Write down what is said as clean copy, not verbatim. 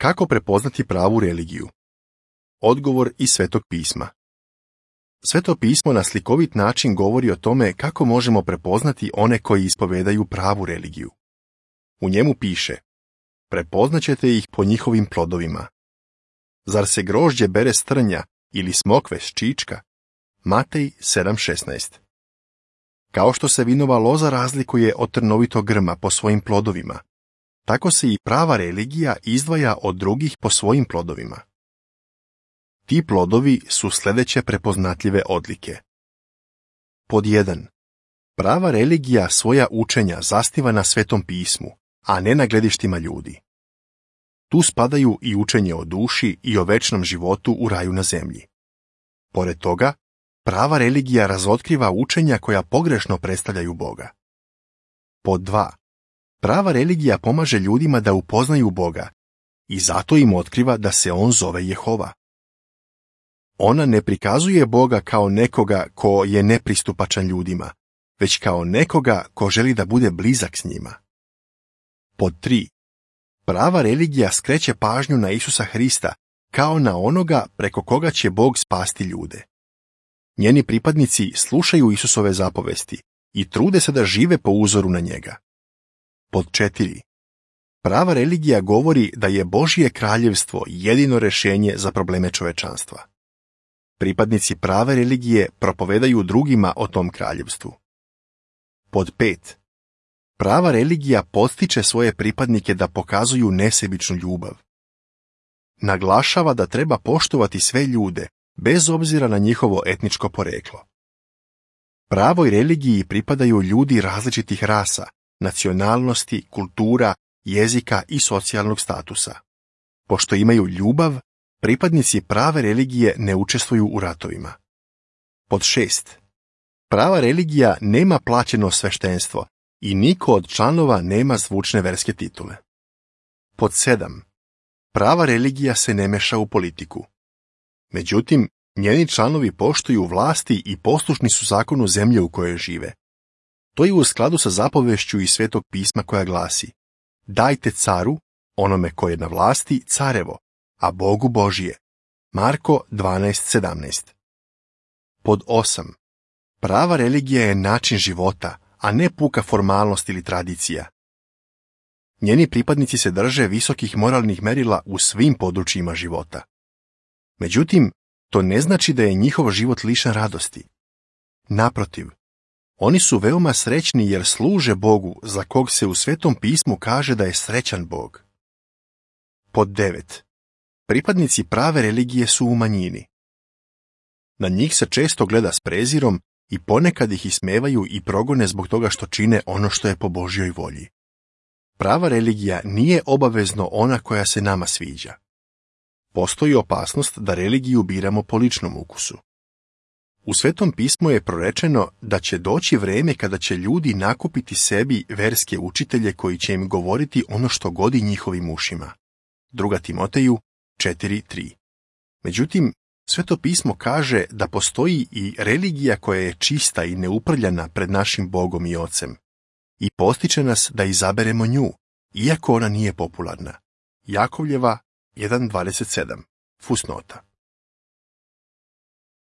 Kako prepoznati pravu religiju? Odgovor iz Svetog pisma. Sveto pismo na slikovit način govori o tome kako možemo prepoznati one koji ispovedaju pravu religiju. U njemu piše: prepoznaćete ih po njihovim plodovima. Zar se grožđe bere s trnja ili smokve s čička? Matej 7.16. Kao što se vinova loza razlikuje od trnovitog grma po svojim plodovima, tako se i prava religija izdvaja od drugih po svojim plodovima. Ti plodovi su sljedeće prepoznatljive odlike. Pod 1. Prava religija svoja učenja zasniva na Svetom pismu, a ne na gledištima ljudi. Tu spadaju i učenje o duši i o večnom životu u raju na zemlji. Pored toga, prava religija razotkriva učenja koja pogrešno predstavljaju Boga. Pod 2. Prava religija pomaže ljudima da upoznaju Boga i zato im otkriva da se on zove Jehova. Ona ne prikazuje Boga kao nekoga ko je nepristupačan ljudima, već kao nekoga ko želi da bude blizak s njima. Pod 3. Prava religija skreće pažnju na Isusa Hrista kao na onoga preko koga će Bog spasti ljude. Njeni pripadnici slušaju Isusove zapovesti i trude se da žive po uzoru na njega. Pod 4. Prava religija govori da je Božje kraljevstvo jedino rješenje za probleme čovečanstva. Pripadnici prave religije propovedaju drugima o tom kraljevstvu. Pod 5. Prava religija postiče svoje pripadnike da pokazuju nesebičnu ljubav. Naglašava da treba poštovati sve ljude, bez obzira na njihovo etničko poreklo. Pravoj religiji pripadaju ljudi različitih rasa, nacionalnosti, kultura, jezika i socijalnog statusa. Pošto imaju ljubav, pripadnici prave religije ne učestvuju u ratovima. Pod 6. Prava religija nema plaćeno sveštenstvo i niko od članova nema zvučne verske titule. Pod 7. Prava religija se ne meša u politiku. Međutim, njeni članovi poštuju vlasti i poslušni su zakonu zemlje u kojoj žive. To je u skladu sa zapovešću iz Svetog pisma koja glasi: dajte caru, onome ko je na vlasti, carevo, a Bogu Božije. Marko 12.17. Pod 8. Prava religija je način života, a ne puka formalnost ili tradicija. Njeni pripadnici se drže visokih moralnih merila u svim područjima života. Međutim, to ne znači da je njihov život lišen radosti. Naprotiv, oni su veoma srećni jer služe Bogu za kog se u Svetom pismu kaže da je srećan Bog. Pod 9. Pripadnici prave religije su u manjini. Na njih se često gleda s prezirom i ponekad ih ismevaju i progone zbog toga što čine ono što je po Božjoj volji. Prava religija nije obavezno ona koja se nama sviđa. Postoji opasnost da religiju biramo po ličnom ukusu. U Svetom pismu je prorečeno da će doći vreme kada će ljudi nakupiti sebi verske učitelje koji će im govoriti ono što godi njihovim ušima. 2. Timoteju 4.3. Međutim, Sveto pismo kaže da postoji i religija koja je čista i neuprljana pred našim Bogom i Ocem i postiče nas da izaberemo nju, iako ona nije popularna. Jakovljeva 1.27. Fusnota.